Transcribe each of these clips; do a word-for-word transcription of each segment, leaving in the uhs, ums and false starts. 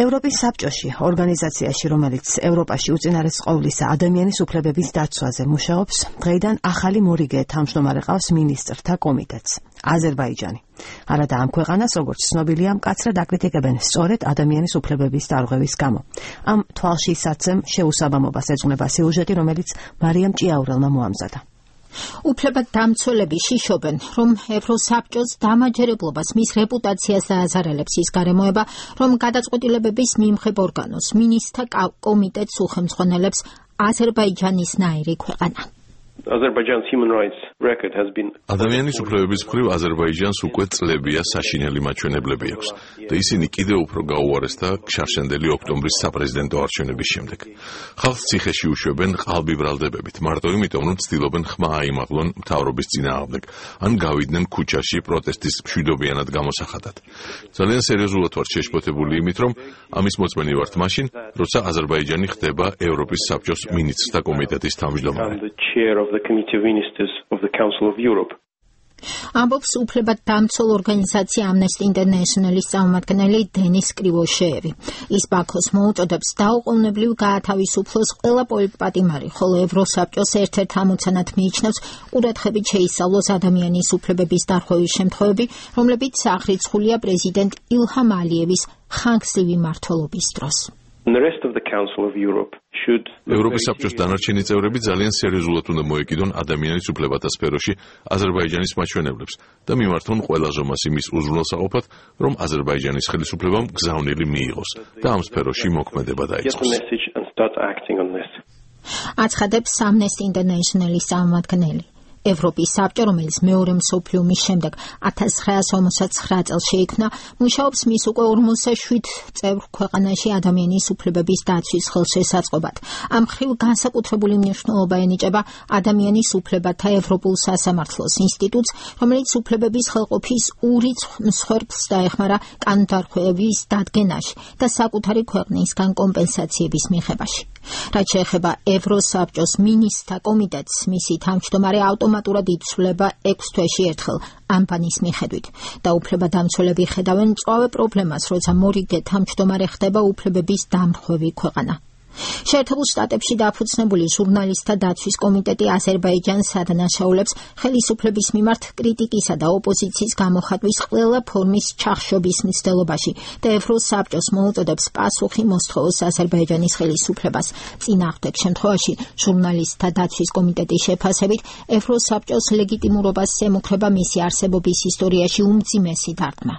ევროპის საბჭოში, ორგანიზაციაში, რომელიც ევროპაში უწინარესყოვლისა ადამიანის უფლებების დაცვაზე მუშაობს, დღეიდან ახალი მორიგე თავმჯდომარე ყავს მინისტრთა კომიტეტს, აზერბაიჯანი. არადა ამ ქვეყანას, როგორც ცნობილია, მკაცრად აკრიტიკებენ სწორედ ადამიანის უფლებების დარღვევის გამო. ამ თვალშისაცემ შეუსაბამობას ეძღვნება სიუჟეტი, რომელიც მარიამ ჭიაურელმა მოამზადა. უფლებადამცველები შიშობენ, რომ ევროსაბჭოს დამაჯერებლობას მის რეპუტაციას დააზარალებს ის გარემოება, რომ გადაწყვეტილებების მიმღებ ორგანოს მინისტრთა კომიტეტს უხელმძღვანელებს აზერბაიჯანის ნაირი ქვეყანა. ადამიანის უფლებების მხრივ აზერბაიჯანს უკვე წლებია საშინელი მაჩვენებლები აქვს და ისინი კიდევ უფრო გაუარესდა შარშანდელი ოქტომბრის საპრეზიდენტო არჩევნების შემდეგ. ხალხს ციხეში უშვებენ ყალბი ბრალდებებით, მარტო იმიტომ, რომ ცდილობენ ხმა აიმაღლონ მთავრობის წინააღმდეგ, ან გავიდნენ ქუჩაში პროტესტის მშვიდობიანად გამოსახატად. ძალიან სერიოზულად ვართ შეშფოთებული იმით, რომ ამის მოწმენი ვართ მაშინ, როცა აზერბაიჯანი ხდება ევროპის საბჭოს მინისტრთა კომიტეტის თავმჯდომარე. the Committee of Ministers of the Council of Europe. ამბობს უფლებადამცველ ორგანიზაცია Amnesty International-ის წარმომადგენელი დენის კრივოშეევი. ის ბაქოს მოუწოდებს დაუყოვნებლივ გაათავისუფლოს ყველა პოლიტპატიმარი, ხოლო ევროსაბჭოს ერთ-ერთ ამოცანად მიიჩნევს ყურადღებით შეისწავლოს ადამიანის უფლებების დარღვევის შემთხვევები, რომლებიც აღრიცხულია პრეზიდენტ ილჰამ ალიევის ხანგრძლივი მმართველობის დროს. ევროპის საბჭოს დანარჩენი წევრები ძალიან სერიოზულად უნდა მოეკიდონ ადამიანის უფლებათა სფეროში აზერბაიჯანის მაჩვენებლებს და მიმართონ ყველა ზომას იმის უზრუნველსაყოფად, რომ აზერბაიჯანის ხელისუფლებამ გზავნილი მიიღოს და ამ სფეროში მოქმედება დაიწყოს. აცხადებს Amnesty International-ის წარმომადგენელი. ევროპის საბჭო, რომელიც მეორე მსოფლიო ომის შემდეგ ათას ცხრაასი ორმოცდათცხრა წელს შეიქმნა, მუშაობს მის უკვე ორმოცდაშვიდ წევრ ქვეყანაში ადამიანის უფლებების დაცვის ხელშესაწყობად. ამ მხრივ განსაკუთრებული მნიშვნელობა ენიჭება ადამიანის უფლებათა ევროპულ სასამართლოს ინსტიტუტს, რომელიც უფლებების ხელყოფის ურიცხვ მსხვერპლს დაეხმარა კანონდარღვევების დადგენაში და საკუთარი ქვეყნისგან კომპენსაციების მიღებაში. რაც შეეხება ევროსაბჭოს მინისტრთა კომიტეტს, მისი თავმჯდომარე ავტომატურად იცვლება ექვს თვეში ერთხელ ამ პანის მიხედვით და უფლებადამცველები ხედავენ მწვავე პრობლემას, როცა მორიგე თავმჯდომარე ხდება უფლებების დამრღვევი ქვეყანა. შეერთებულ შტატებში დაფუძნებული ჟურნალისტთა დაცვის კომიტეტი აზერბაიჯანს ადანაშაულებს ხელისუფლების მიმართ კრიტიკისა და ოპოზიციის გამოხატვის ყველა ფორმის ჩახშობის მცდელობაში და ევროსაბჭოს მოუწოდებს პასუხი მოსთხოვოს აზერბაიჯანის ხელისუფლებას. წინააღმდეგ შემთხვევაში ჟურნალისტთა დაცვის კომიტეტის შეფასებით ევროსაბჭოს ლეგიტიმურობას ემუქრება მისი არსებობის ისტორიაში უმძიმესი დარტყმა.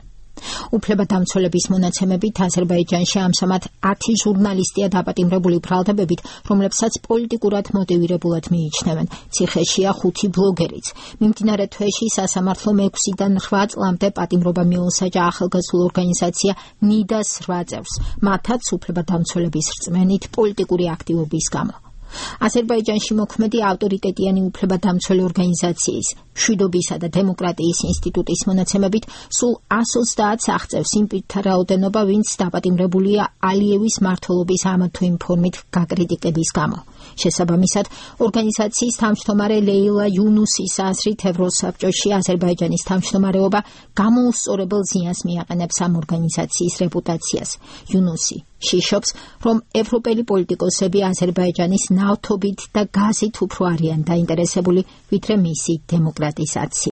უფლებადამცველების მონაცემებით აზერბაიჯანში ამჟამად ათი ჟურნალისტია დაპატიმრებული ბრალდებებით, რომლებსაც პოლიტიკურად მოტივირებულად მიიჩნევენ. ციხეშია ხუთი ბლოგერიც. მიმდინარე თვეში სასამართლომ ექვსიდან რვა წლამდე პატიმრობა მიუსაჯა ახალგაზრდულ ორგანიზაცია ნიდას რვა წევრს, მათაც უფლებადამცველების რწმენით პოლიტიკური აქტივობის გამო. აზერბაიჯანში მოქმედი ავტორიტეტიანი უფლებადამცველი ორგანიზაციის მშვიდობისა და დემოკრატიის ინსტიტუტის მონაცემებით სულ ას ოცდაათ აღწევს იმ პირთა რაოდენობა, ვინც დაპატიმრებულია ალიევის მმართველობის ამ თუ იმ ფორმით გაკრიტიკების გამო. შესაბამისად, ორგანიზაციის თავმჯდომარე ლეილა იუნუსის აზრით ევროსაბჭოში აზერბაიჯანის თავმჯდომარეობა გამოუსწორებელ ზიანს მიაყენებს ამ ორგანიზაციის რეპუტაციას. იუნუსი შიშობს, რომ ევროპელი პოლიტიკოსები აზერბაიჯანის ნავთობით და გაზით უფრო არიან დაინტერესებული, ვიდრე მისი დემოკრატიზაციით.